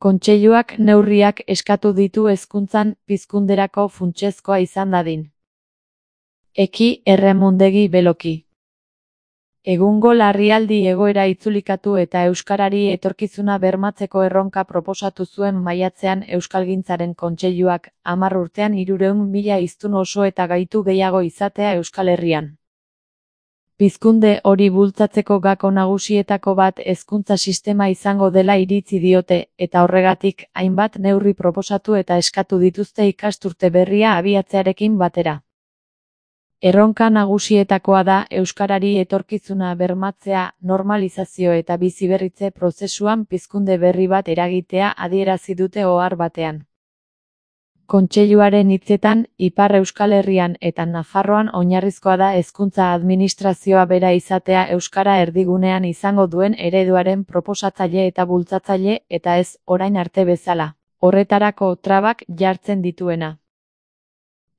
Kontseiluak neurriak eskatu ditu hezkuntzan pizkunderako funtsezkoa izan dadin. Eki Erremondegi Beloki. Egungo larrialdi egoera itzulikatu eta euskarari etorkizuna bermatzeko erronka proposatu zuen maiatzean Euskalgintzaren Kontseiluak, 10 urtean 300.000 hiztun oso eta gaitu gehiago izatea Euskal Herrian. Pizkunde hori bultzatzeko gako nagusietako bat hezkuntza sistema izango dela iritzi diote, eta horregatik, hainbat neurri proposatu eta eskatu dituzte ikasturte berria abiatzearekin batera. Erronka nagusietakoa da euskarari etorkizuna bermatzea, normalizazio eta biziberritze prozesuan pizkunde berri bat eragitea adierazi dute ohar batean. Kontseiluaren hitzetan, Ipar Euskal Herrian eta Nafarroan oinarrizkoa da hezkuntza administrazioa bera izatea euskara erdigunean izango duen ereduaren proposatzaile eta bultzatzaile eta ez orain arte bezala, horretarako trabak jartzen dituena.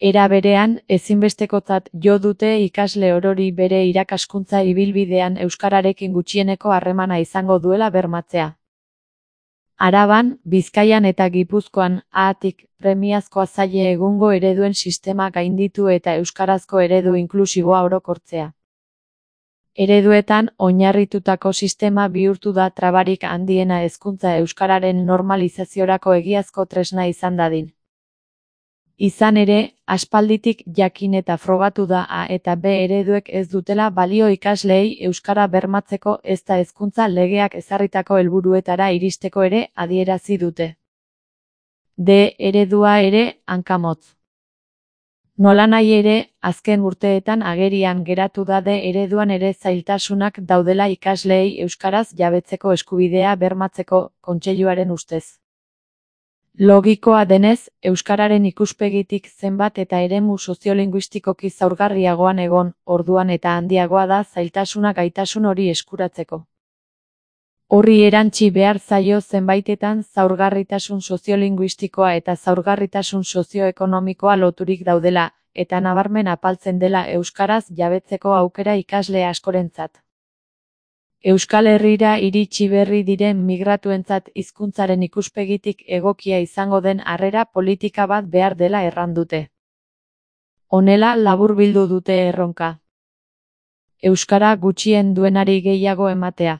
Era berean, ezinbestekotzat jo dute ikasle orori bere irakaskuntza ibilbidean euskararekin gutxieneko harremana izango duela bermatzea. Araban, Bizkaian eta Gipuzkoan, haatik, premiazkoa zaie egungo ereduen sistema gainditu eta euskarazko eredu inklusiboa orokortzea. Ereduetan, oinarritutako sistema bihurtu da trabarik handiena hezkuntza euskararen normalizaziorako egiazko tresna izan dadin. Izan ere, aspalditik jakin eta frogatu da A eta B ereduek ez dutela balio ikasleei euskara bermatzeko ezta hezkuntza legeak ezarritako helburuetara iristeko ere adierazi dute. D eredua ere hankamotz. Nolanahi ere, azken urteetan agerian geratu da D ereduan ere zailtasunak daudela ikasleei euskaraz jabetzeko eskubidea bermatzeko, Kontseiluaren ustez. Logikoa denez, euskararen ikuspegitik zenbat eta eremu soziolinguistikoki zaurgarriagoan egon, orduan eta handiagoa da zailtasuna gaitasun hori eskuratzeko. Horri erantsi behar zaio zenbaitetan zaurgarritasun soziolinguistikoa eta zaurgarritasun sozioekonomikoa loturik daudela, eta nabarmen apaltzen dela euskaraz jabetzeko aukera ikasle askorentzat. Euskal Herrira iritsi berri diren migratuentzat hizkuntzaren ikuspegitik egokia izango den harrera politika bat behar dela errandute. Honela laburbildu dute erronka. Euskara gutxien duenari gehiago ematea.